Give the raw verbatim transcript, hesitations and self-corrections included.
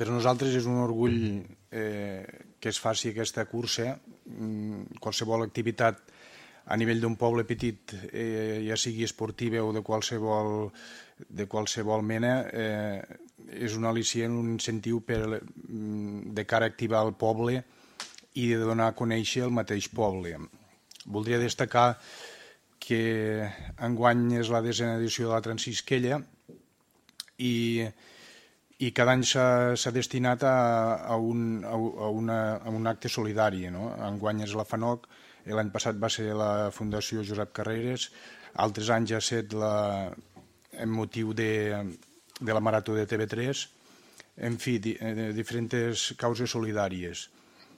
Per nosaltres és un orgull eh, que es faci aquesta cursa. Qualsevol activitat a nivell d'un poble petit, eh, ja sigui esportiva o de qualsevol, de qualsevol mena, eh, és un al·licient, un incentiu per, de cara a activar el poble i de donar a conèixer el mateix poble. Voldria destacar que enguany és la desena edició de la Transisquella i, i cada any s'ha destinat a, a, un, a, una, a un acte solidari. No? Enguany és la FANOC, l'any passat va ser la Fundació Josep Carreras, altres anys ha estat la, en motiu de, de la Marató de T V tres, en fi, di, diferents causes solidàries.